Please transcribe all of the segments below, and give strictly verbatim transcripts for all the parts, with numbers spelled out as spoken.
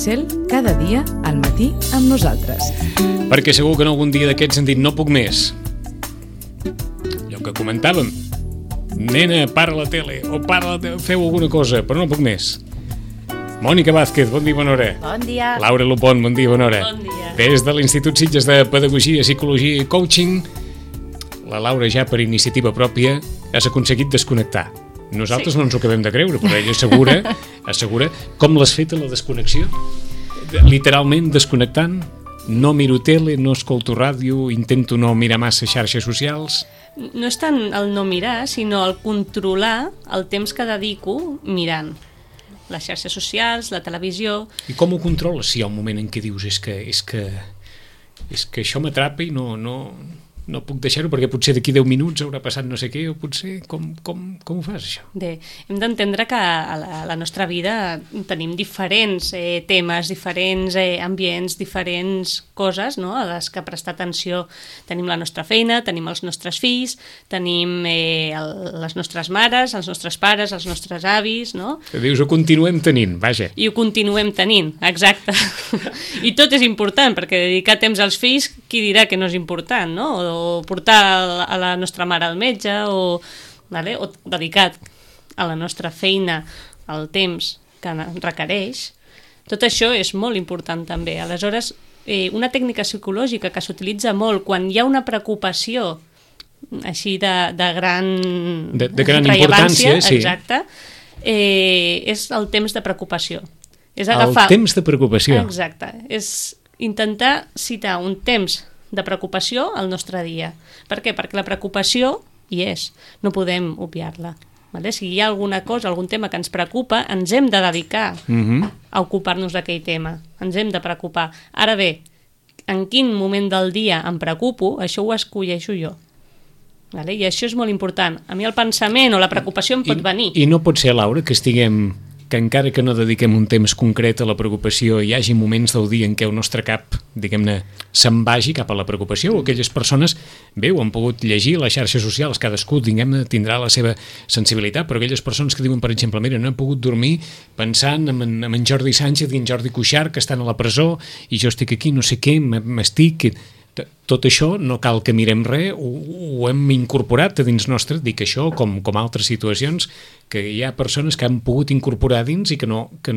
Cel, cada dia al matí amb nosaltres. Perquè segur que en algun dia d'aquests han dit no puc més. Allò que comentàvem, nena, para la tele, o para la tele, feu alguna cosa, però no puc més. Mònica Vázquez, bon dia, bona hora. Bon dia. Laura Lupont, bon dia, bona hora. Bon dia. Des de l'Institut Sitges de Pedagogia, Psicologia i Coaching, la Laura ja per iniciativa pròpia has aconseguit desconnectar. Nosaltres sí. No ens ho acabem de creure, però ella assegura, assegura com l'has fet a la desconnexió. Literalment desconnectant, no miro tele, no escolto ràdio, intento no mirar massa xarxes socials. No és tant el no mirar, sinó el controlar el temps que dedico mirant les xarxes socials, la televisió. I com ho controles si hi ha un moment en què dius és que, és que, és que això m'atrapa i no, no, no puc deixar-ho perquè potser d'aquí deu minuts haurà passat no sé què, o potser com, com, com ho fas això? Bé, hem d'entendre que a la, a la nostra vida tenim diferents eh, temes, diferents eh, ambients, diferents coses, no?, a les que prestar atenció. Tenim la nostra feina, tenim els nostres fills, tenim eh, el, les nostres mares, els nostres pares, els nostres avis, no? Que dius, ho continuem tenint, vaja. I ho continuem tenint, exacte. I tot és important, perquè dedicar temps als fills, qui dirà que no és important, no? O o portar a la nostra mare al metge, o, vale? O dedicat a la nostra feina el temps que requereix. Tot això és molt important també. Aleshores, eh, una tècnica psicològica que s'utilitza molt quan hi ha una preocupació així de, de gran, de, de gran importància, sí. Exacte, eh, és el temps de preocupació. És agafar... El temps de preocupació. Exacte. És intentar citar un temps de preocupació al nostre dia. Per què? Perquè la preocupació hi és, no podem obviar-la. Vale? Si hi ha alguna cosa, algun tema que ens preocupa, ens hem de dedicar uh-huh. a ocupar-nos d'aquell tema. Ens hem de preocupar. Ara bé, en quin moment del dia em preocupo, això ho escolleixo jo. Vale? I això és molt important. A mi el pensament o la preocupació em pot I, venir. I no pot ser, Laura, que estiguem... que encara que no dediquem un temps concret a la preocupació, hi hagi moments del dia en què el nostre cap, diguem-ne, se'n vagi cap a la preocupació, o aquelles persones, bé, ho han pogut llegir a les xarxes socials, cadascú, diguem-ne, tindrà la seva sensibilitat, però aquelles persones que diuen, per exemple, mira, no he pogut dormir pensant en, en, en Jordi Sánchez i en Jordi Cuixart, que estan a la presó, i jo estic aquí, no sé què, m'estic... Tot això no cal que mirem res, ho, ho hem incorporat a dins nostre, dic això com, com altres situacions, que hi ha persones que han pogut incorporar dins i que no, que,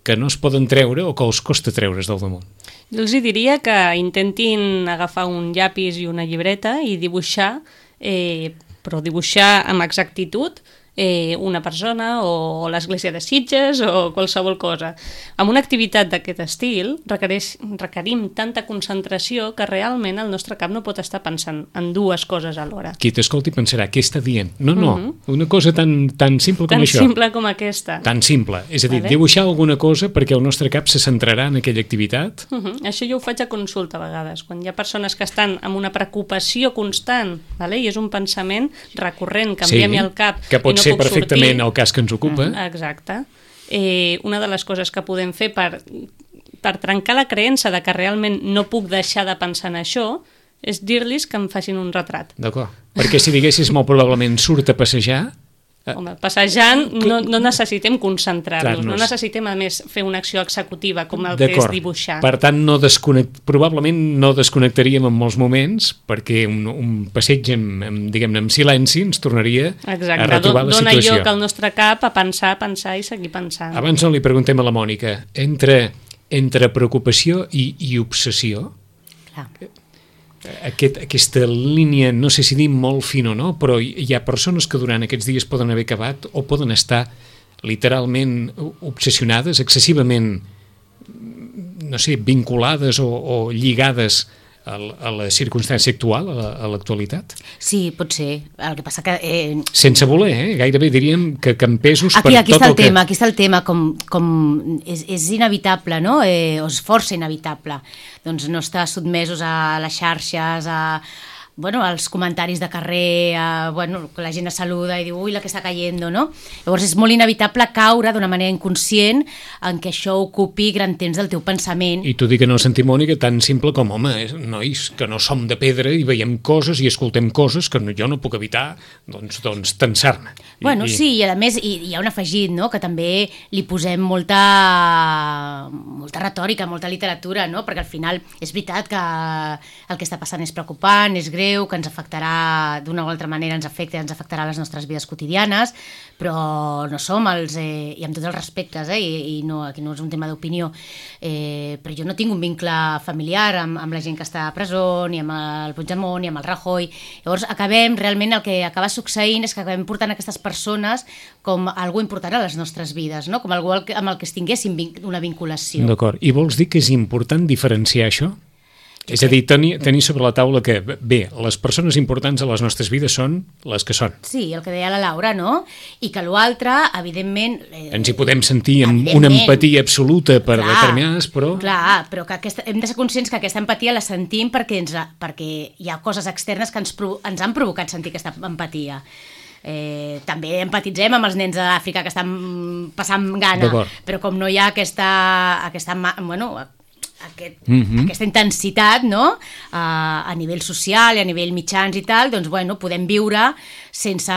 que no es poden treure o que els costa treure's del damunt. Jo els diria que intentin agafar un llapis i una llibreta i dibuixar, eh, però dibuixar amb exactitud, Eh, una persona o l'església de Sitges o qualsevol cosa. Amb una activitat d'aquest estil requereix, requerim tanta concentració que realment el nostre cap no pot estar pensant en dues coses alhora. Qui t'escolti pensarà, què està dient? No, no, uh-huh. una cosa tan, tan simple com tan això. Tan simple com aquesta. Tan simple. És a dir, vale. Dibuixar alguna cosa perquè el nostre cap se centrarà en aquella activitat. Uh-huh. Això jo ho faig a consulta a vegades, quan hi ha persones que estan amb una preocupació constant, vale? I és un pensament recurrent, que enviem-hi al cap que pot i no ser puc perfectament sortir. El cas que ens ocupa. Exacte. Eh, una de les coses que podem fer per, per trencar la creença de que realment no puc deixar de pensar en això és dir-los que em facin un retrat. D'acord. Perquè si diguessis molt probablement surt a passejar... Home, passejant no, no necessitem concentrar-nos, Clar, no necessitem a més fer una acció executiva com el que és dibuixar. Per tant, no desconnect... probablement no desconnectaríem en molts moments perquè un, un passeig amb, amb, diguem-ne, amb silenci ens tornaria Exacte. A retrobar la Dona situació. Dona lloc al nostre cap a pensar, pensar i seguir pensant. Abans no li preguntem a la Mònica, entre, entre preocupació i, i obsessió, Clar. Aquest, aquesta línia, no sé si dir molt fina o no, però hi ha persones que durant aquests dies poden haver acabat o poden estar literalment obsessionades, excessivament, no sé, vinculades o, o lligades a, a la circumstància actual, a l'actualitat? Sí, pot ser. El que passa que... Eh... Sense voler, eh? Gairebé diríem que, que en pesos aquí, per aquí tot està el, el que... tema, aquí està el tema, com, com és, és inevitable, no? Eh, o és força inevitable. Doncs no estar sotmesos a les xarxes, a, bueno, els comentaris de carrer, eh, bueno, que la gent es saluda i diu, ui, la que està cayendo, no? Llavors és molt inevitable caure d'una manera inconscient en què això ocupi gran temps del teu pensament. I t'ho dic en el sentit, Mònica, tan simple com, home, eh, nois, que no som de pedra i veiem coses i escoltem coses que no, jo no puc evitar, doncs, doncs tensar-me. Bueno, I, sí, i a més hi, hi ha un afegit, no?, que també li posem molta, molta retòrica, molta literatura, no?, perquè al final és veritat que el que està passant és preocupant, és greu, que ens afectarà d'una o altra manera, ens afecta, ens afectarà les nostres vides quotidianes, però no som els, eh, i amb tots els respectes, eh, i, i no, aquí no és un tema d'opinió, eh, però jo no tinc un vincle familiar amb, amb la gent que està a presó, ni amb el Puigdemont, ni amb el Rajoy. Llavors acabem, realment el que acaba succeint és que acabem portant aquestes persones com algú important a les nostres vides, no? Com algú amb el que es tinguéssim una vinculació. D'acord. I vols dir que és important diferenciar això? És a dir, tenir, tenir sobre la taula que, bé, les persones importants a les nostres vides són les que són. Sí, el que deia la Laura, no? I que l'altre, evidentment... Eh, Ens hi podem sentir amb una empatia absoluta per clar, determinades, però... Clar, però que aquesta, hem de ser conscients que aquesta empatia la sentim perquè, ens, perquè hi ha coses externes que ens, ens han provocat sentir aquesta empatia. Eh, també empatitzem amb els nens d'Àfrica que estan passant gana, però com no hi ha aquesta... aquesta bueno, Aquest, mm-hmm. aquesta intensitat, no? uh, a nivell social i a nivell mitjans i tal, doncs bueno, podem viure sense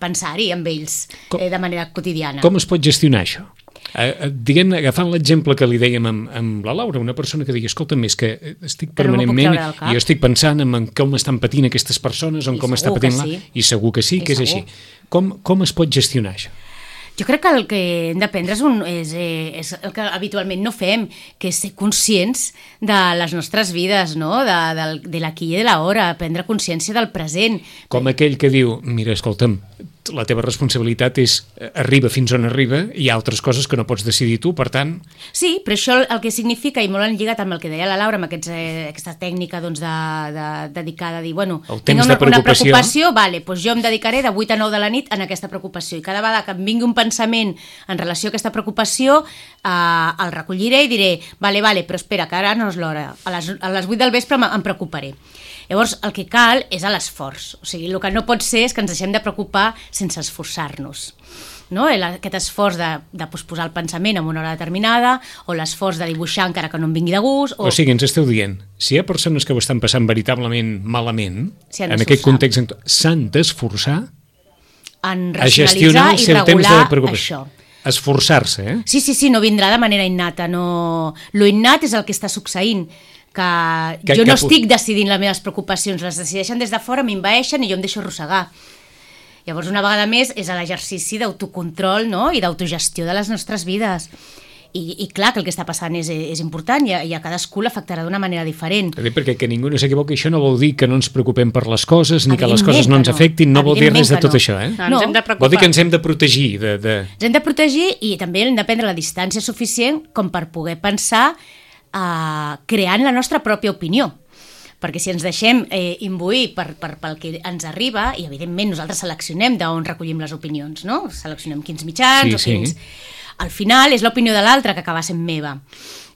pensar-hi amb ells com, eh, de manera quotidiana. Com es pot gestionar això? Uh, diguem, agafant l'exemple que li dèiem amb, amb la Laura, una persona que digui, escolta'm, és que estic permanentment no i jo estic pensant en com estan patint aquestes persones, en I com està patint sí. la... I segur que sí, I que és segur. Així. Com, com es pot gestionar això? Jo crec que el que hem d'aprendre és, un, és, és el que habitualment no fem, que és ser conscients de les nostres vides, no? de, de, de l'aquí i de l'hora, prendre consciència del present. Com aquell que diu, mira, escolta'm, la teva responsabilitat és arriba fins on arriba, hi ha altres coses que no pots decidir tu, per tant... Sí, però això el que significa, i molt enlligat amb el que deia la Laura, amb aquests, eh, aquesta tècnica doncs, de, de, dedicada a dir, bueno, tinc una, una preocupació, vale, doncs jo em dedicaré de vuit a nou de la nit en aquesta preocupació, i cada vegada que em vingui un pensament en relació a aquesta preocupació, eh, el recolliré i diré, vale, vale, però espera, que ara no és l'hora, a les, a les vuit del vespre em preocuparé. Llavors, el que cal és l'esforç. O sigui, el que no pot ser és que ens deixem de preocupar sense esforçar-nos. No? Aquest esforç de, de posposar el pensament en una hora determinada, o l'esforç de dibuixar encara que no em vingui de gust... O, o sigui, ens esteu dient, si hi ha persones que ho estan passant veritablement malament, si en aquest context s'han d'esforçar a gestionar el seu temps de preocupació. Això. Esforçar-se, eh? Sí, sí, sí, no vindrà de manera innata. No... Lo innat és el que està succeint, que, que jo no que... estic decidint les meves preocupacions, les decideixen des de fora, m'envaeixen i jo em deixo arrossegar. Llavors, una vegada més, és l'exercici d'autocontrol, no? I d'autogestió de les nostres vides. I, i clar que el que està passant és, és important i a, i a cadascú l'afectarà d'una manera diferent. Perquè que ningú no s'equivoqui, això no vol dir que no ens preocupem per les coses, ni que les coses no ens afectin, no vol dir res de tot no. això, eh? No, ens hem de preocupar. Vol dir que ens hem de protegir. De, de... Ens hem de protegir i també hem de prendre la distància suficient com per poder pensar Uh, creant la nostra pròpia opinió, perquè si ens deixem eh, imbuir per, per, pel que ens arriba, i evidentment nosaltres seleccionem d'on recollim les opinions, no? Seleccionem quins mitjans sí, o quins... Sí. Al final és l'opinió de l'altre que acaba sent meva.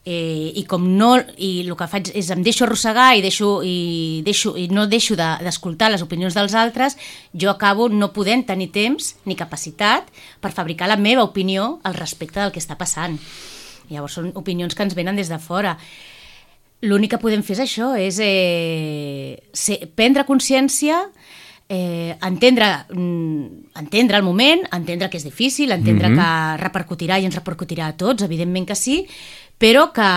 Eh, i com no, i el que faig és em deixo arrossegar i, deixo, i, deixo, i no deixo de, d'escoltar les opinions dels altres, jo acabo no podent tenir temps ni capacitat per fabricar la meva opinió al respecte del que està passant. Llavors són opinions que ens venen des de fora. L'únic que podem fer és això, és eh, ser, prendre consciència, eh, entendre, mm, entendre el moment, entendre que és difícil, entendre mm-hmm. que repercutirà i ens repercutirà a tots, evidentment que sí, però que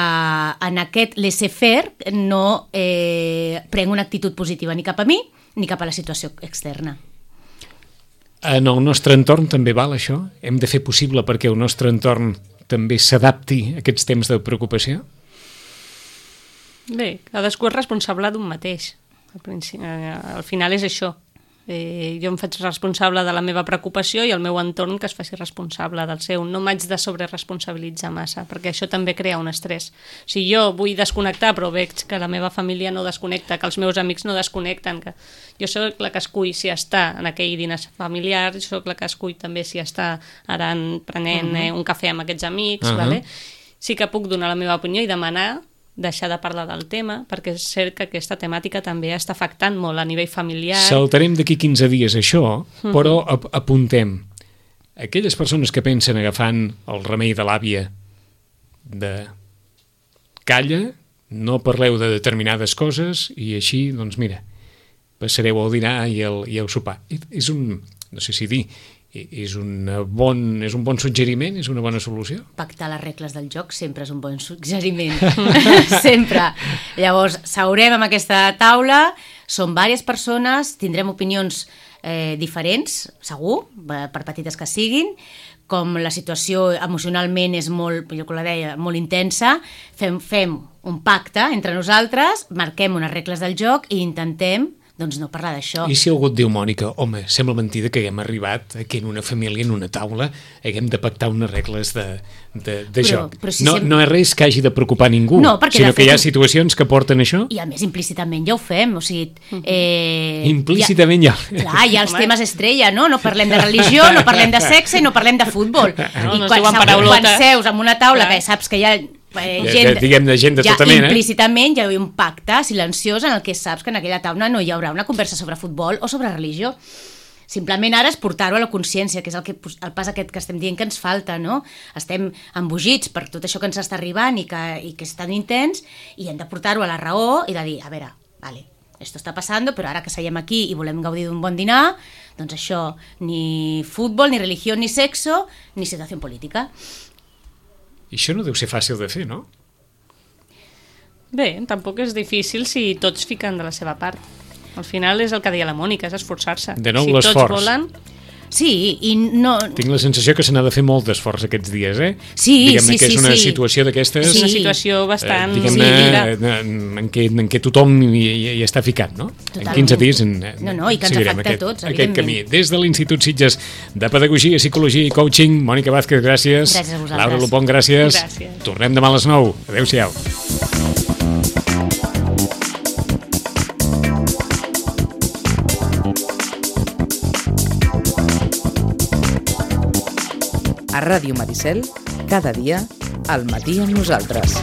en aquest laissez-faire no eh, prenc una actitud positiva ni cap a mi ni cap a la situació externa. En el nostre entorn també val això? Hem de fer possible perquè el nostre entorn també s'adapti a aquests temps de preocupació? Bé, cadascú és responsable d'un mateix. Al, principi, al final és això. Eh, jo em faig responsable de la meva preocupació i el meu entorn que es faci responsable del seu. No m'haig de sobreresponsabilitzar massa, perquè això també crea un estrès. Si jo vull desconnectar però veig que la meva família no desconnecta, que els meus amics no desconnecten, que jo soc la que escull si està en aquell dinar familiar, jo soc la que escull també si està ara prenent uh-huh. eh, un cafè amb aquests amics, uh-huh. vale? Sí que puc donar la meva opinió i demanar deixar de parlar del tema, perquè és cert que aquesta temàtica també està afectant molt a nivell familiar. Saltarem d'aquí quinze dies això, però ap apuntem. Aquelles persones que pensen agafant el remei de l'àvia de calla, no parleu de determinades coses i així, doncs mira, passareu el dinar i el, i el sopar. És un, no sé si dir, és, una bon, és un bon suggeriment, és una bona solució? Pactar les regles del joc sempre és un bon suggeriment. Sempre. Llavors, seurem amb aquesta taula, són diverses persones, tindrem opinions eh, diferents, segur, per petites que siguin, com la situació emocionalment és molt, jo que la deia, molt intensa, fem, fem un pacte entre nosaltres, marquem unes regles del joc i intentem doncs no parlar d'això. I si algú et diu, Mònica, home, sembla mentida que haguem arribat que en una família, en una taula, haguem de pactar unes regles de, de, de però, joc. Però si no, sem... no és res que hagi de preocupar ningú, no, sinó que fet... hi ha situacions que porten això. I a més, implícitament ja ho fem, o sigui... Eh... Implícitament ja... ja... Clar, hi ha els temes estrella, no? No parlem de religió, no parlem de sexe i no parlem de futbol. No, I no quan, quan seus en una taula que saps que hi ha... Eh, gent, de, diguem de gent de ja, tota mena. Implícitament hi ha un pacte silenciós en el que saps que en aquella taula no hi haurà una conversa sobre futbol o sobre religió. Simplement ara és portar-ho a la consciència, que és el, que, el pas aquest que estem dient que ens falta, no? Estem embogits per tot això que ens està arribant i que, i que és tan intens, i hem de portar-ho a la raó i de dir, a veure, vale, esto está pasando, però ara que seiem aquí i volem gaudir d'un bon dinar, doncs això, ni futbol, ni religió, ni sexo, ni situació política. I això no deu ser fàcil de fer, no? Bé, tampoc és difícil si tots fiquen de la seva part. Al final és el que deia la Mònica, és esforçar-se. De nou si l'esforç. tots volen... Sí, i no... Tinc la sensació que se n'ha de fer molt d'esforç aquests dies, eh? Sí, Diguem-ne sí, que és sí, una sí. situació d'aquestes... És una situació bastant... Eh, sí, diguem-ne, en, què, en què tothom hi, hi està ficat, no? Totalment. En quinze dies en, No, no, i que ens seguirem afecta aquest, a tots, aquest camí. evidentment. Des de l'Institut Sitges de Pedagogia, Psicologia i Coaching, Mònica Vázquez, gràcies. Gràcies a vosaltres. Laura Lupón, gràcies. Gràcies. Tornem demà a les nou. Adéu-siau. A Ràdio Maricel, cada dia, al matí amb nosaltres.